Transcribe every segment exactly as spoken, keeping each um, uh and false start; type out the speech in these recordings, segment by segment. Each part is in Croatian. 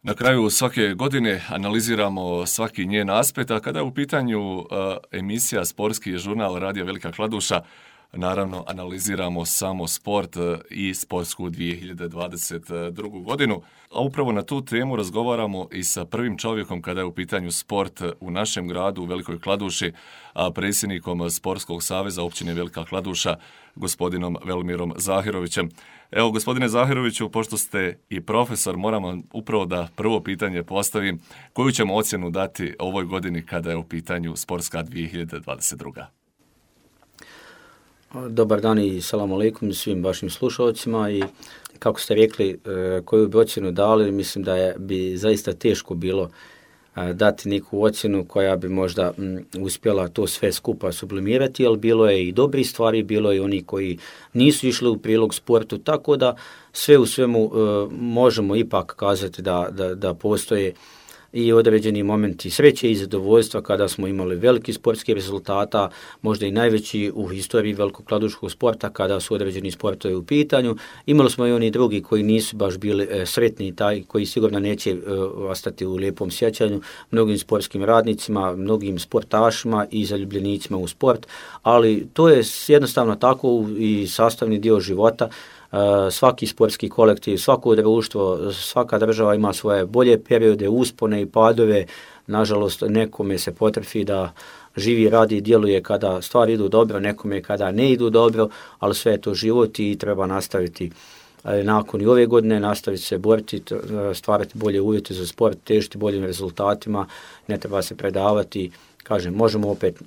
Na kraju svake godine analiziramo svaki njen aspekt, a kada je u pitanju uh, emisija Sportski žurnal Radija Velika Kladuša, naravno analiziramo samo sport i sportsku dvije hiljade dvadeset drugu. godinu. A upravo na tu temu razgovaramo i sa prvim čovjekom kada je u pitanju sport u našem gradu u Velikoj Kladuši, a predsjednikom Sportskog saveza općine Velika Kladuša, gospodinom Velmirom Zahirovićem. Evo, gospodine Zahiroviću, pošto ste i profesor, moramo upravo da prvo pitanje postavim. Koju ćemo ocjenu dati ovoj godini kada je u pitanju sportska dvije hiljade dvadeset druga. Dobar dan i salam alejkum svim vašim slušalcima i kako ste rekli koju bi ocjenu dali, mislim da je bi zaista teško bilo dati neku ocjenu koja bi možda m, uspjela to sve skupa sublimirati, ali bilo je i dobrih stvari, bilo je i oni koji nisu išli u prilog sportu, tako da sve u svemu e, možemo ipak kazati da, da, da postoje i određeni momenti sreće i zadovoljstva kada smo imali veliki sportski rezultata, možda i najveći u historiji velikog kladuškog sporta kada su određeni sportovi u pitanju. Imali smo i oni drugi koji nisu baš bili e, sretni, taj koji sigurno neće e, ostati u lijepom sjećanju mnogim sportskim radnicima, mnogim sportašima i zaljubljenicima u sport, ali to je jednostavno tako i sastavni dio života. Svaki sportski kolektiv, svako društvo, svaka država ima svoje bolje periode, uspone i padove. Nažalost, nekome se potrfi da živi, radi i djeluje kada stvari idu dobro, nekome kada ne idu dobro, ali sve je to život i treba nastaviti nakon i ove godine, nastaviti se boriti, stvarati bolje uvjete za sport, težiti boljim rezultatima, ne treba se predavati. Kažem, možemo opet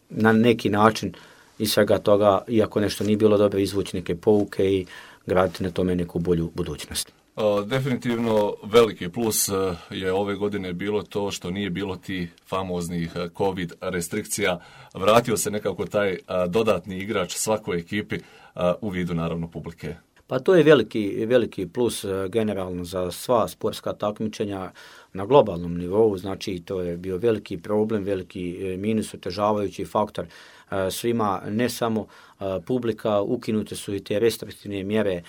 na neki način i svega toga, iako nešto nije bilo dobro, izvući neke pouke i graditi na tome neku bolju budućnost. Definitivno veliki plus je ove godine bilo to što nije bilo ti famoznih COVID restrikcija. Vratio se nekako taj dodatni igrač svakoj ekipi u vidu naravno publike. Pa to je veliki, veliki plus generalno za sva sportska takmičenja na globalnom nivou, znači to je bio veliki problem, veliki minus, otežavajući faktor svima, ne samo publika, ukinute su i te restriktivne mjere.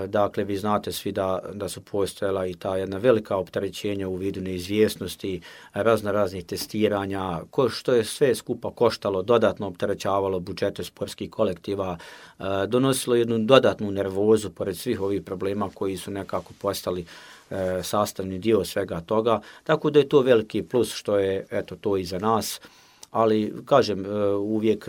Dakle, vi znate svi da, da su postojala i ta jedna velika opterećenja u vidu neizvjesnosti, razno raznih testiranja, ko, što je sve skupa koštalo, dodatno opterećavalo budžete sportskih kolektiva, donosilo jednu dodatnu nervozu pored svih ovih problema koji su nekako postali sastavni dio svega toga. Tako da je to veliki plus što je eto to i za nas. Ali, kažem, uvijek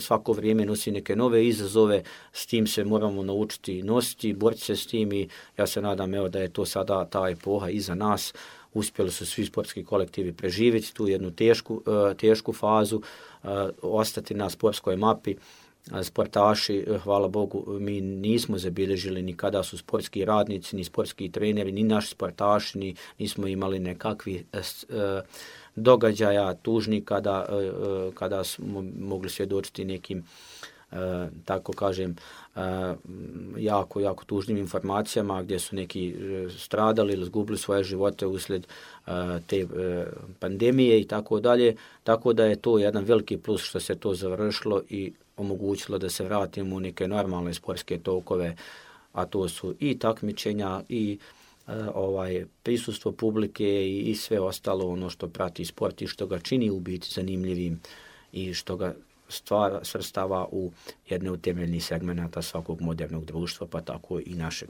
svako vrijeme nosi neke nove izazove, s tim se moramo naučiti nositi, boriti se s tim i ja se nadam evo, da je to sada ta epoha iza nas. Uspjeli su svi sportski kolektivi preživjeti tu jednu tešku, tešku fazu, ostati na sportskoj mapi. Sportaši, hvala Bogu, mi nismo zabilježili ni kada su sportski radnici, ni sportski treneri, ni naši sportaši, ni, nismo imali nekakvi događaja tužni kada, kada smo mogli svjedočiti nekim, tako kažem, jako, jako tužnim informacijama gdje su neki stradali ili izgubili svoje živote uslijed te pandemije i tako dalje. Tako da je to jedan veliki plus što se to završilo i omogućilo da se vratimo u neke normalne sportske tokove, a to su i takmičenja i ovaj prisustvo publike i, i sve ostalo ono što prati sport i što ga čini u biti zanimljivim i što ga stvara, svrstava u jedne od temeljnih segmenata svakog modernog društva, pa tako i našeg.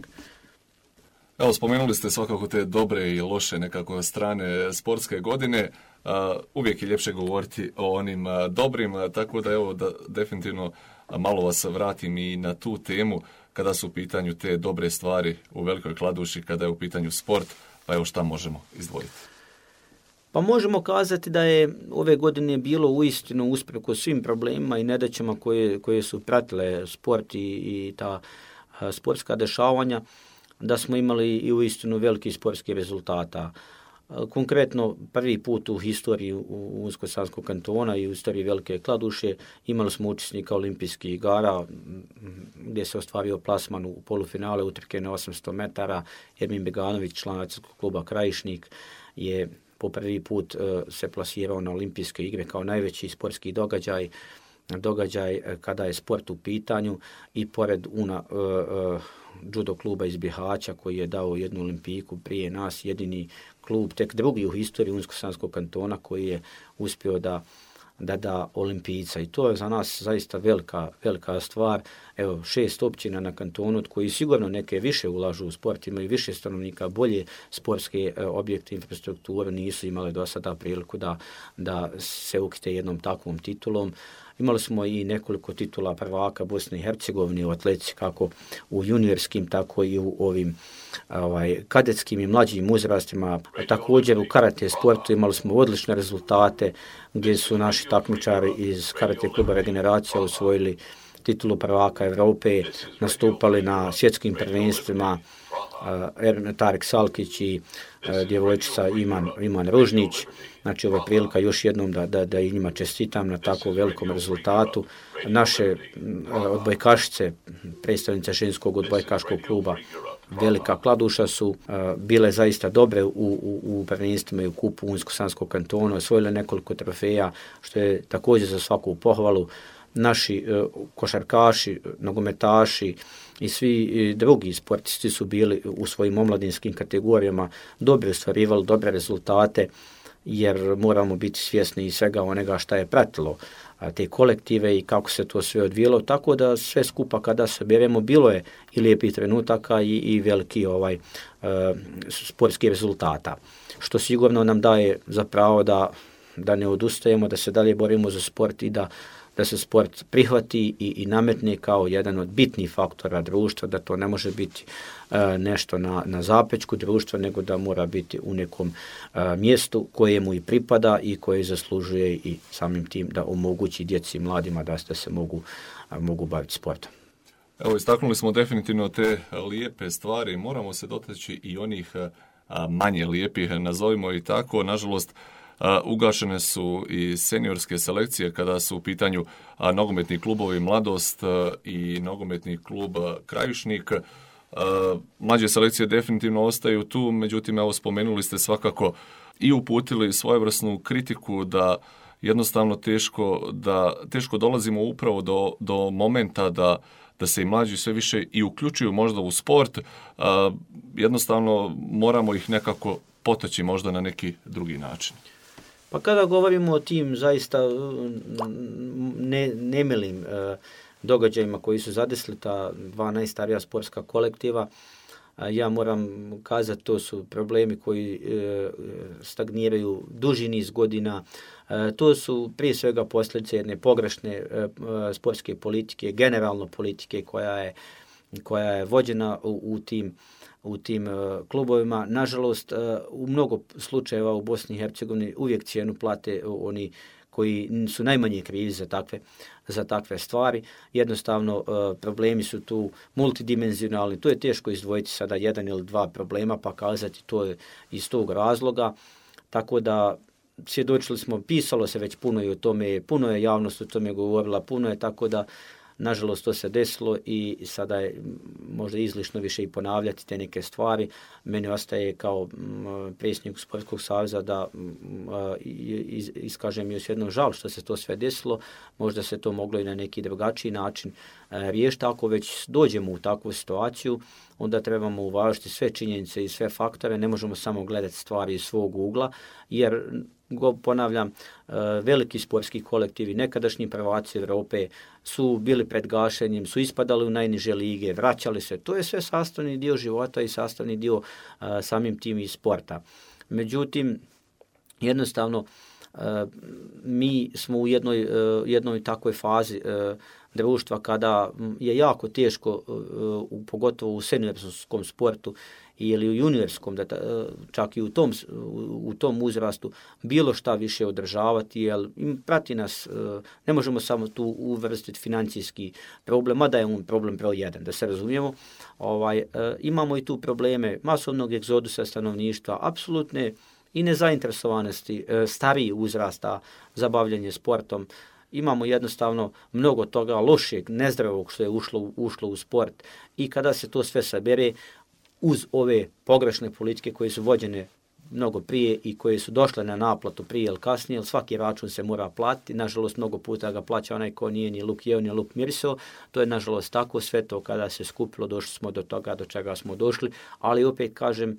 Evo, spomenuli ste svakako te dobre i loše nekako strane sportske godine. Uh, uvijek je ljepše govoriti o onim uh, dobrim, uh, tako da evo da definitivno uh, malo vas vratim i na tu temu kada su u pitanju te dobre stvari u Velikoj Kladuši, kada je u pitanju sport, pa evo šta možemo izdvojiti. Pa možemo kazati da je ove godine bilo uistinu usprkos svim problemima i nedaćama koje, koje su pratile sport i, i ta uh, sportska dešavanja, da smo imali i uistinu veliki sportski rezultata. Konkretno, prvi put u historiji Unsko-Sanskog kantona i u istoriji Velike Kladuše imali smo učesnika olimpijskih igara gdje se ostvario plasman u polufinale utrke na osamsto metara. Ermin Beganović, član atletskog kluba Krajišnik, je po prvi put se plasirao na olimpijske igre kao najveći sportski događaj. događaj kada je sport u pitanju i pored una uh, uh, judo kluba iz Bihaća koji je dao jednu olimpijku prije nas, jedini klub, tek drugi u historiji Unsko-Sanskog kantona koji je uspio da da da olimpijca i to je za nas zaista velika, velika stvar. Evo, šest općina na kantonu koji sigurno neke više ulažu u sport, imaju više stanovnika, bolje sportske e, objekte, infrastrukturu, nisu imali do sada priliku da, da se ukite jednom takvom titulom. Imali smo i nekoliko titula prvaka Bosne i Hercegovine u atletici, kako u juniorskim, tako i u ovim ovaj, kadetskim i mlađim uzrastima. Također u karate sportu imali smo odlične rezultate gdje su naši takmičari iz karate kluba Regeneracija osvojili titulu prvaka Evrope, nastupali na svjetskim prvenstvima uh, Tarek Salkić i uh, djevojčica Iman, Iman Ružnić. Znači, ovo je prilika još jednom da, da, da i njima čestitam na tako velikom rezultatu. Naše uh, odbojkašice, predstavnice ženskog odbojkaškog kluba Velika Kladuša su uh, bile zaista dobre u, u, u prvenstvima i u kupu Unsko-Sanskog kantona, osvojile nekoliko trofeja, što je također za svaku pohvalu. Naši uh, košarkaši, nogometaši i svi uh, drugi sportisti su bili u svojim omladinskim kategorijama dobro ostvarivali dobre rezultate, jer moramo biti svjesni i svega onega šta je pratilo a, te kolektive i kako se to sve odvijelo, tako da sve skupa kada se beremo bilo je i lijepih trenutaka i, i veliki ovaj uh, sportski rezultata, što sigurno nam daje za pravo da, da ne odustajemo, da se dalje borimo za sport i da da se sport prihvati i, i nametne kao jedan od bitnih faktora društva, da to ne može biti e, nešto na, na zapečku društva, nego da mora biti u nekom e, mjestu kojemu i pripada i koje zaslužuje i samim tim da omogući djeci i mladima da, da se mogu, a, mogu baviti sportom. Evo, istaknuli smo definitivno te lijepe stvari, moramo se dotaći i onih a, manje lijepih, nazovimo i tako, nažalost. Uh, ugašene su i seniorske selekcije kada su u pitanju uh, nogometni klubovi Mladost uh, i nogometni klub uh, Krajišnik. Uh, mlađe selekcije definitivno ostaju tu, međutim, evo, spomenuli ste svakako i uputili svojevrsnu kritiku da jednostavno teško, da, teško dolazimo upravo do, do momenta da, da se i mlađi sve više i uključuju možda u sport. Uh, jednostavno moramo ih nekako potaći možda na neki drugi način. Pa kada govorimo o tim zaista ne, nemilim e, događajima koji su zadesili ta dva najstarija sportska kolektiva, a ja moram kazati to su problemi koji e, stagniraju duži niz godina. E, to su prije svega posljedice jedne pogrešne e, sportske politike, generalno politike koja je, koja je vođena u, u tim u tim uh, klubovima. Nažalost, uh, u mnogo slučajeva u Bosni i Hercegovini uvijek cijenu plate uh, oni koji su najmanje krivi za takve, za takve stvari. Jednostavno, uh, problemi su tu multidimenzionalni. To je teško izdvojiti sada jedan ili dva problema pa kazati to je iz tog razloga. Tako da svjedočili smo, pisalo se već puno i o tome, puno je javnost o tome govorila, puno je, tako da nažalost to se desilo i sada je možda izlišno više i ponavljati te neke stvari. Meni ostaje kao predsjednik Sportskog saveza da iz, iskažem još jednom žal što se to sve desilo. Možda se to moglo i na neki drugačiji način riješiti. Ako već dođemo u takvu situaciju, onda trebamo uvažiti sve činjenice i sve faktore. Ne možemo samo gledati stvari iz svog ugla, jer Go, ponavljam, veliki sportski kolektivi, nekadašnji prvaci Europe su bili pred gašenjem, su ispadali u najniže lige, vraćali se. To je sve sastavni dio života i sastavni dio samim tim i sporta. Međutim, jednostavno, mi smo u jednoj, jednoj takvoj fazi društva kada je jako teško, pogotovo u seniorskom sportu ili u juniorskom, da čak i u tom, u tom uzrastu, bilo šta više održavati, jer prati nas, ne možemo samo tu uvrstiti financijski problem, mada je on problem broj jedan, da se razumijemo. Ovaj, imamo i tu probleme masovnog egzodusa stanovništva, apsolutne i nezainteresovanosti stariji uzrasta za bavljanje sportom. Imamo jednostavno mnogo toga lošeg, nezdravog što je ušlo, ušlo u sport i kada se to sve sabere uz ove pogrešne politike koje su vođene mnogo prije i koje su došle na naplatu prije ili kasnije, jer svaki račun se mora platiti. Nažalost, mnogo puta ga plaća onaj ko nije ni luk jeo, ni luk mirisao. To je nažalost tako, sve to kada se skupilo, došli smo do toga do čega smo došli, ali opet kažem,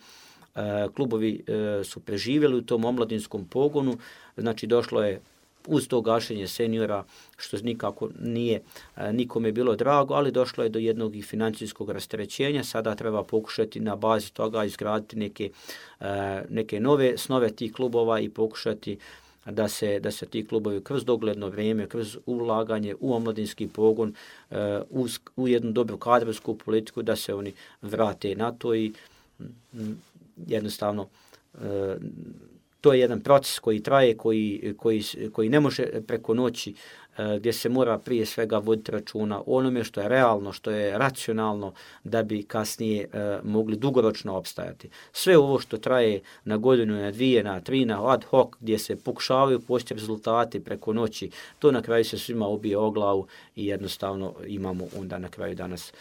klubovi su preživjeli u tom omladinskom pogonu, znači došlo je uz to gašenje seniora, što nikako nije nikome bilo drago, ali došlo je do jednog i financijskog rasterećenja. Sada treba pokušati na bazi toga izgraditi neke, neke nove snove tih klubova i pokušati da se, da se ti klubovi kroz dogledno vrijeme, kroz ulaganje u omladinski pogon, u, u jednu dobru kadrovsku politiku, da se oni vrate na to i jednostavno to je jedan proces koji traje, koji, koji, koji ne može preko noći, gdje se mora prije svega voditi računa o onome što je realno, što je racionalno, da bi kasnije mogli dugoročno opstajati. Sve ovo što traje na godinu, na dvije, na tri, na ad hoc, gdje se pokušavaju postići rezultati preko noći, to na kraju se svima ubije o glavu i jednostavno imamo onda na kraju danas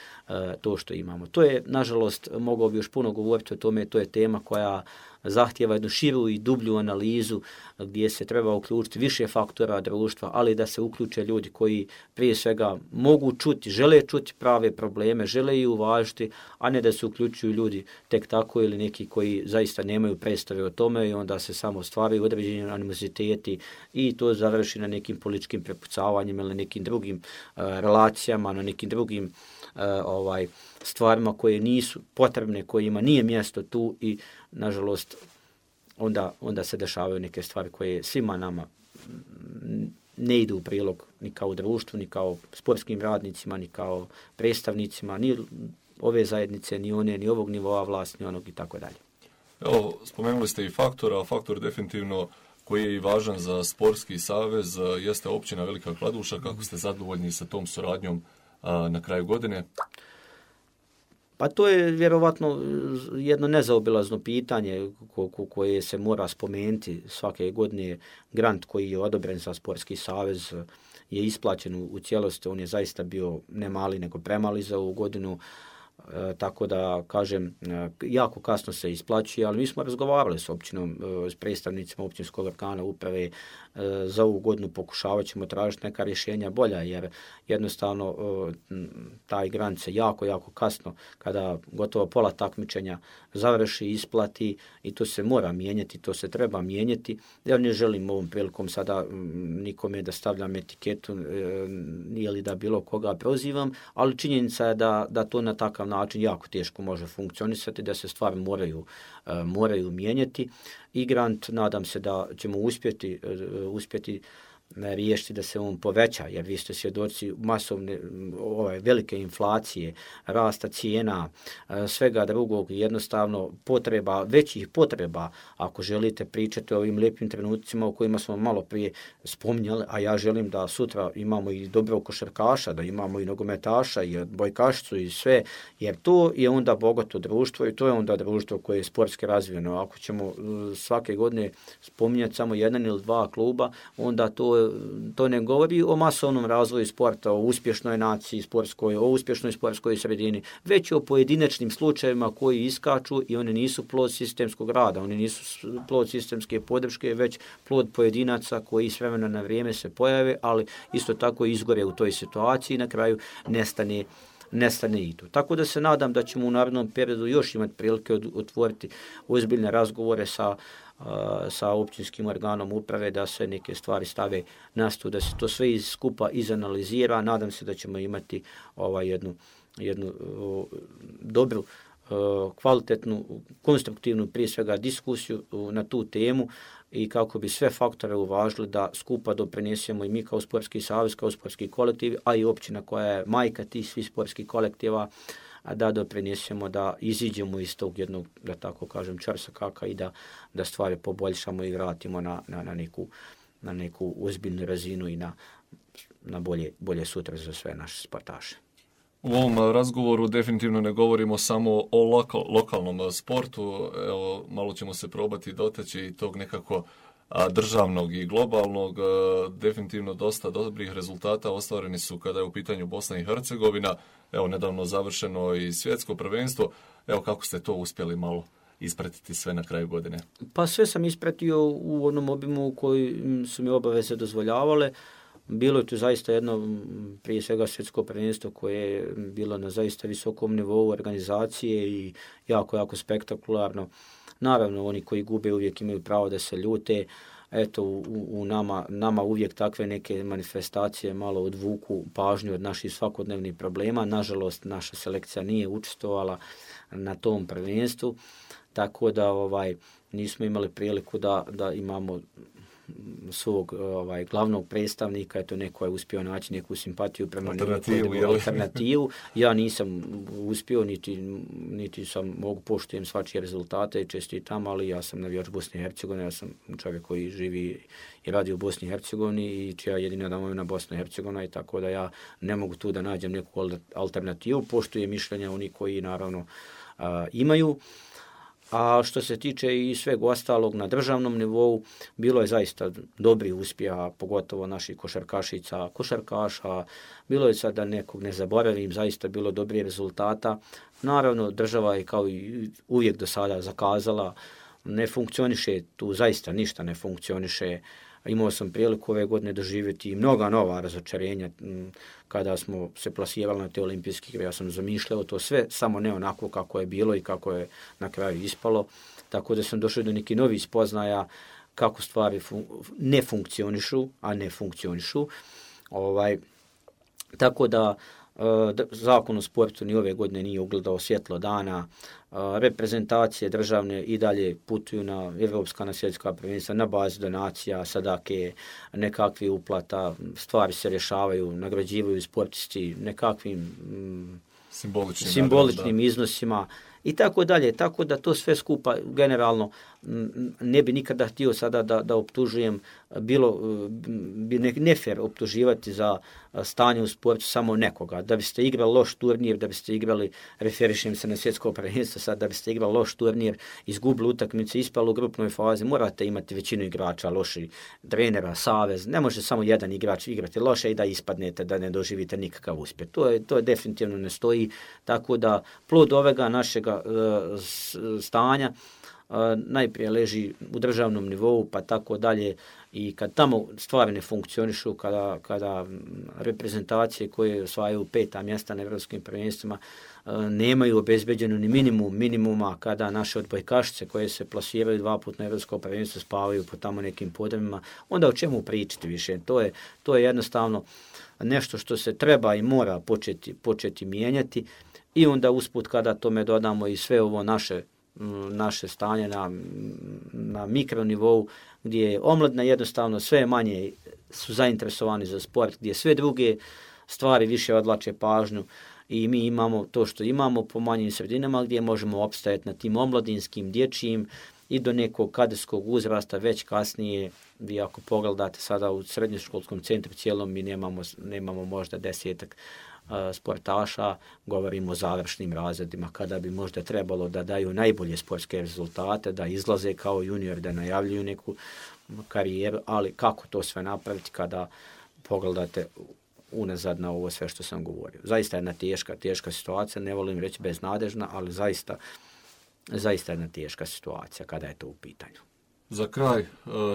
to što imamo. To je, nažalost, mogao bi još puno govoriti o tome, to je tema koja zahtjeva jednu širu i dublju analizu gdje se treba uključiti više faktora društva, ali da se uključe ljudi koji prije svega mogu čuti, žele čuti prave probleme, žele ih uvažiti, a ne da se uključuju ljudi tek tako ili neki koji zaista nemaju predstave o tome i onda se samo stvaraju određeni animoziteti i to završi na nekim političkim prepucavanjima ili nekim drugim uh, relacijama, na nekim drugim uh, ovaj stvarima koje nisu potrebne, kojima nije mjesto tu i nažalost onda, onda se dešavaju neke stvari koje svima nama ne idu u prilog ni kao društvu, ni kao sportskim radnicima, ni kao predstavnicima, ni ove zajednice, ni one, ni ovog nivoa vlasti, ni onog i tako dalje. Evo, spomenuli ste i faktora, a faktor definitivno koji je i važan za sportski savez jeste općina Velika Kladuša. Kako ste zadovoljni sa tom suradnjom a, na kraju godine? Pa to je vjerovatno jedno nezaobilazno pitanje ko, ko, koje se mora spomenuti svake godine. Grant koji je odobren za sportski savez je isplaćen u, u cijelosti. On je zaista bio ne mali nego premali za ovu godinu. E, tako da, kažem, jako kasno se isplaćuje, ali mi smo razgovarali s općinom, s predstavnicima općinskog organa uprave. E, za ovu godinu pokušavat ćemo tražiti neka rješenja bolja, jer jednostavno e, taj grant se jako, jako kasno, kada gotovo pola takmičenja završi, isplati i to se mora mijenjati, to se treba mijenjati. Ja ne želim ovom prilikom sada nikome da stavljam etiketu e, ili da bilo koga prozivam, ali činjenica je da, da to na takav način jako teško može funkcionisati, da se stvari moraju, uh, moraju mijenjati i grant, nadam se da ćemo uspjeti, uh, uspjeti riješiti da se on poveća, jer vi ste svjedoci masovne ovaj, velike inflacije, rasta cijena, svega drugog, jednostavno potreba, većih potreba, ako želite pričati o ovim lijepim trenucima o kojima smo malo prije spominjali, a ja želim da sutra imamo i dobrog košarkaša, da imamo i nogometaša i odbojkašicu i sve, jer to je onda bogato društvo i to je onda društvo koje je sportski razvijeno. Ako ćemo svake godine spominjati samo jedan ili dva kluba, onda to to ne govori o masovnom razvoju sporta, o uspješnoj naciji sportskoj, o uspješnoj sportskoj sredini, već o pojedinačnim slučajevima koji iskaču i oni nisu plod sistemskog rada, oni nisu plod sistemske podrške, već plod pojedinaca koji s vremena na vrijeme se pojave, ali isto tako izgore u toj situaciji i na kraju nestane nestane i to. Tako da se nadam da ćemo u narednom periodu još imati prilike otvoriti ozbiljne razgovore sa sa općinskim organom uprave, da se neke stvari stave na sto, da se to sve skupa izanalizira. Nadam se da ćemo imati ovaj jednu, jednu o, dobru, o, kvalitetnu, konstruktivnu prije svega diskusiju o, na tu temu i kako bi sve faktore uvažili da skupa doprinesemo i mi kao sportski savez, kao sportski kolektiv, a i općina koja je majka tih svih sportskih kolektiva, a da doprinesemo da iziđemo iz tog jednog, da tako kažem, čarsakaka i da, da stvari poboljšamo i vratimo na, na, na, neku, na neku ozbiljnu razinu i na, na bolje, bolje sutra za sve naše sportaše. U ovom razgovoru definitivno ne govorimo samo o lokal, lokalnom sportu, evo, malo ćemo se probati dotaći i tog nekako a, državnog i globalnog. A, definitivno dosta dobrih rezultata ostvareni su kada je u pitanju Bosna i Hercegovina. Evo, nedavno završeno i svjetsko prvenstvo. Evo, kako ste to uspjeli malo ispratiti sve na kraju godine? Pa sve sam ispratio u onom obimu u koji su mi obaveze dozvoljavale. Bilo je tu zaista jedno, prije svega svjetsko prvenstvo koje je bilo na zaista visokom nivou organizacije i jako, jako spektakularno. Naravno, oni koji gube uvijek imaju pravo da se ljute. Eto, u, u nama, nama uvijek takve neke manifestacije malo odvuku pažnju od naših svakodnevnih problema. Nažalost, naša selekcija nije učestvovala na tom prvenstvu, tako da ovaj nismo imali priliku da, da imamo svog ovaj, glavnog predstavnika, eto neko je uspio naći neku simpatiju prema alternativu, neku alternativu. Ja nisam uspio, niti, niti sam mogu poštujem svačije rezultate i čestitam, ali ja sam navijač Bosne i Hercegovine, ja sam čovjek koji živi i radi u Bosni i Hercegovini i čija jedina domovina Bosna i Hercegovina i tako da ja ne mogu tu da nađem neku alternativu, poštujem mišljenja oni koji naravno a, imaju. A što se tiče i sveg ostalog na državnom nivou, bilo je zaista dobrih uspjeha, pogotovo naših košarkašica, košarkaša. Bilo je sad da nekog ne zaboravim, zaista bilo dobrih rezultata. Naravno, država je kao i uvijek do sada zakazala, ne funkcioniše, tu zaista ništa ne funkcioniše. Imao sam priliku ove godine doživjeti i mnoga nova razočarenja kada smo se plasirali na te olimpijske igre. Ja sam zamišljao to sve, samo ne onako kako je bilo i kako je na kraju ispalo. Tako da sam došao do nekih novih spoznaja kako stvari fun- ne funkcionišu, a ne funkcionišu. Ovaj, tako da Zakon o sportu ni ove godine nije ugledao svjetlo dana. Reprezentacije državne i dalje putuju na evropska, na svjetska prvenstva, na bazi donacija, sadake, nekakvi uplata, stvari se rješavaju, nagrađivaju sportisti nekakvim mm, simboličnim, simboličnim nagrada, i i tako dalje. Tako da to sve skupa generalno ne bi nikada htio sada da, da optužujem, bilo bi nefer optuživati za stanje u sportu samo nekoga. Da biste igrali loš turnir, da biste igrali, referišem se na svjetsko prvenstvo sad, da biste igrali loš turnir, izgubili utakmice, ispali u grupnoj fazi, morate imati većinu igrača, loši trenera, savez. Ne može samo jedan igrač igrati loše i da ispadnete, da ne doživite nikakav uspjeh. To je, to je definitivno ne stoji. Tako da plod ovega našega uh, stanja uh, najprije leži u državnom nivou, pa tako dalje. I kad tamo stvari ne funkcionišu, kada, kada reprezentacije koje osvajaju peta mjesta na evropskim prvenstvima nemaju obezbeđeno ni minimum minimuma, kada naše odbojkašice koje se plasiraju dva puta na evropsko prvenstvo spavaju po tamo nekim podrumima, onda o čemu pričati više? To je, to je jednostavno nešto što se treba i mora početi, početi mijenjati i onda usput kada tome dodamo i sve ovo naše naše stanje na, na mikronivou, gdje je omladina jednostavno sve manje su zainteresovani za sport, gdje sve druge stvari više odlače pažnju i mi imamo to što imamo po manjim sredinama gdje možemo opstajati na tim omladinskim, dječjim i do nekog kadetskog uzrasta, već kasnije, vi ako pogledate sada u srednjoškolskom centru cijelom mi nemamo, nemamo možda desetak sportaša, govorimo o završnim razredima, kada bi možda trebalo da daju najbolje sportske rezultate, da izlaze kao junior, da najavljuju neku karijeru, ali kako to sve napraviti kada pogledate unazad na ovo sve što sam govorio. Zaista je jedna teška, teška situacija, ne volim reći beznadežna, ali zaista, zaista je jedna teška situacija kada je to u pitanju. Za kraj,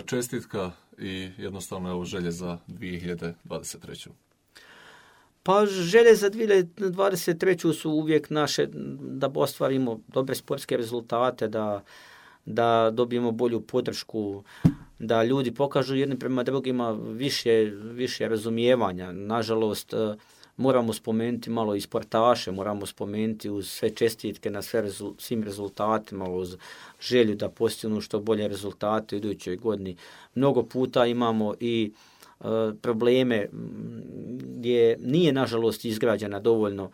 čestitka i jednostavno evo želje za dvije hiljade dvadeset treću. Pa želje za dvije hiljade dvadeset treću su uvijek naše da ostvarimo dobre sportske rezultate, da, da dobijemo bolju podršku, da ljudi pokažu jedni prema drugima više, više razumijevanja. Nažalost, moramo spomenuti malo i sportaše, moramo spomenuti uz sve čestitke na sve rezul, svim rezultatima, uz želju da postignu što bolje rezultate u idućoj godini. Mnogo puta imamo i probleme gdje nije nažalost izgrađena dovoljno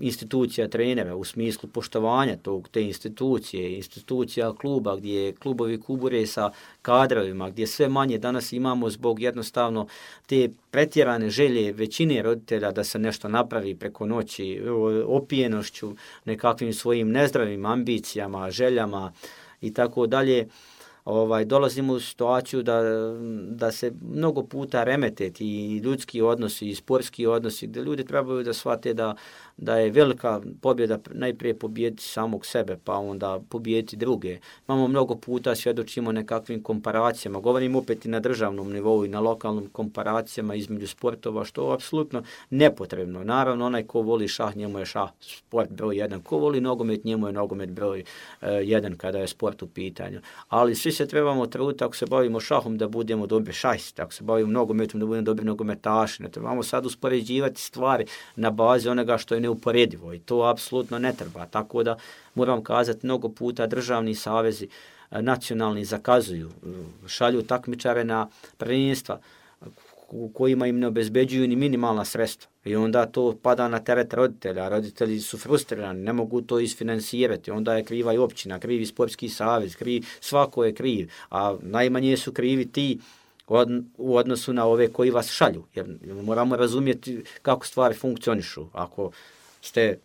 institucija trenera u smislu poštovanja tog, te institucije, institucija kluba gdje klubovi kubure sa kadrovima, gdje sve manje danas imamo zbog jednostavno te pretjerane želje većine roditelja da se nešto napravi preko noći, opijenošću, nekakvim svojim nezdravim ambicijama, željama i tako dalje. ovaj, dolazimo u situaciju da, da se mnogo puta remete i ljudski odnosi i sportski odnosi, gdje ljudi trebaju da shvate da, da je velika pobjeda najprije pobijediti samog sebe, pa onda pobijediti druge. Imamo mnogo puta, svjedočimo nekakvim komparacijama, govorim opet i na državnom nivou i na lokalnim komparacijama između sportova, što je apsolutno nepotrebno. Naravno, onaj ko voli šah, njemu je šah sport broj jedan, ko voli nogomet, njemu je nogomet broj uh, jedan kada je sport u pitanju. Ali svi se trebamo truditi, ako se bavimo šahom, da budemo dobri šahisti, ako se bavimo nogometom, da budemo dobri nogometaši. Ne trebamo sad uspoređivati stvari na bazi onoga što je neuporedivo i to apsolutno ne treba. Tako da moram kazati, mnogo puta državni savezi nacionalni zakazuju, šalju takmičare na prvenstva u kojima im ne obezbeđuju ni minimalna sredstva. I onda to pada na teret roditelja. Roditelji su frustrirani, ne mogu to isfinansirati. Onda je kriva i općina, krivi sportski savez, kriv, svako je kriv. A najmanje su krivi ti u odnosu na ove koji vas šalju. Jer moramo razumjeti kako stvari funkcionišu. Ako ste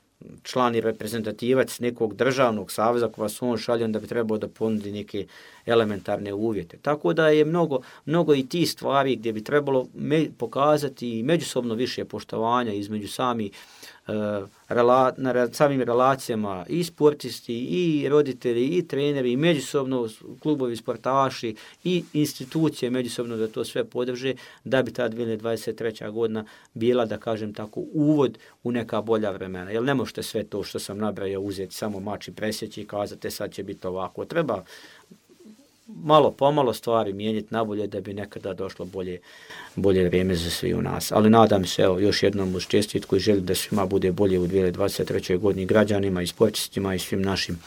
član i reprezentativac nekog državnog saveza ko vas on šalje, onda bi trebao da ponudi neke elementarne uvjete. Tako da je mnogo, mnogo i ti stvari gdje bi trebalo me, pokazati međusobno više poštovanja između sami, uh, rela, na re, samim relacijama i sportisti, i roditelji, i treneri, i međusobno klubovi sportaši, i institucije međusobno da to sve podrže, da bi ta dvije tisuće dvadeset treća godina bila, da kažem tako, uvod u neka bolja vremena. Jer ne možete sve to što sam nabrajao uzeti samo mač i presjeći i kazati sad će biti ovako. Treba malo pomalo stvari mijenjati nabolje da bi nekada došlo bolje, bolje vrijeme za svi u nas. Ali nadam se, evo, još jednom uz čestitku i želim da svima bude bolje u dvije tisuće dvadeset trećoj godini, građanima i sportistima i svim našim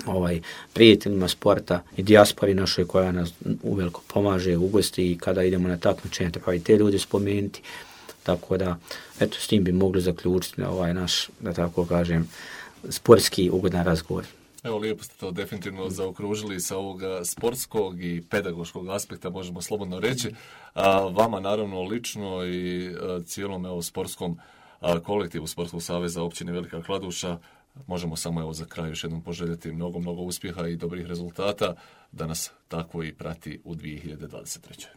ovaj, prijateljima sporta i dijaspori našoj koja nas uveliko pomaže u gosti i kada idemo na takmičenje treba i te ljude spomenuti. Tako da, eto, s tim bi mogli zaključiti ovaj naš, da tako kažem, sportski ugodan razgovor. Evo, lijepo ste to definitivno zaokružili sa ovoga sportskog i pedagoškog aspekta, možemo slobodno reći. A, vama naravno lično i a, cijelom evo, sportskom a, kolektivu Sportskog saveza općine Velika Kladuša možemo samo evo za kraj još jednom poželjeti mnogo, mnogo uspjeha i dobrih rezultata da nas tako i prati u dvije tisuće dvadeset trećoj.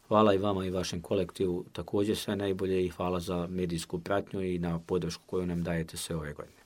Hvala i vama i vašem kolektivu također sve najbolje i hvala za medijsku pratnju i na podršku koju nam dajete sve ove godine.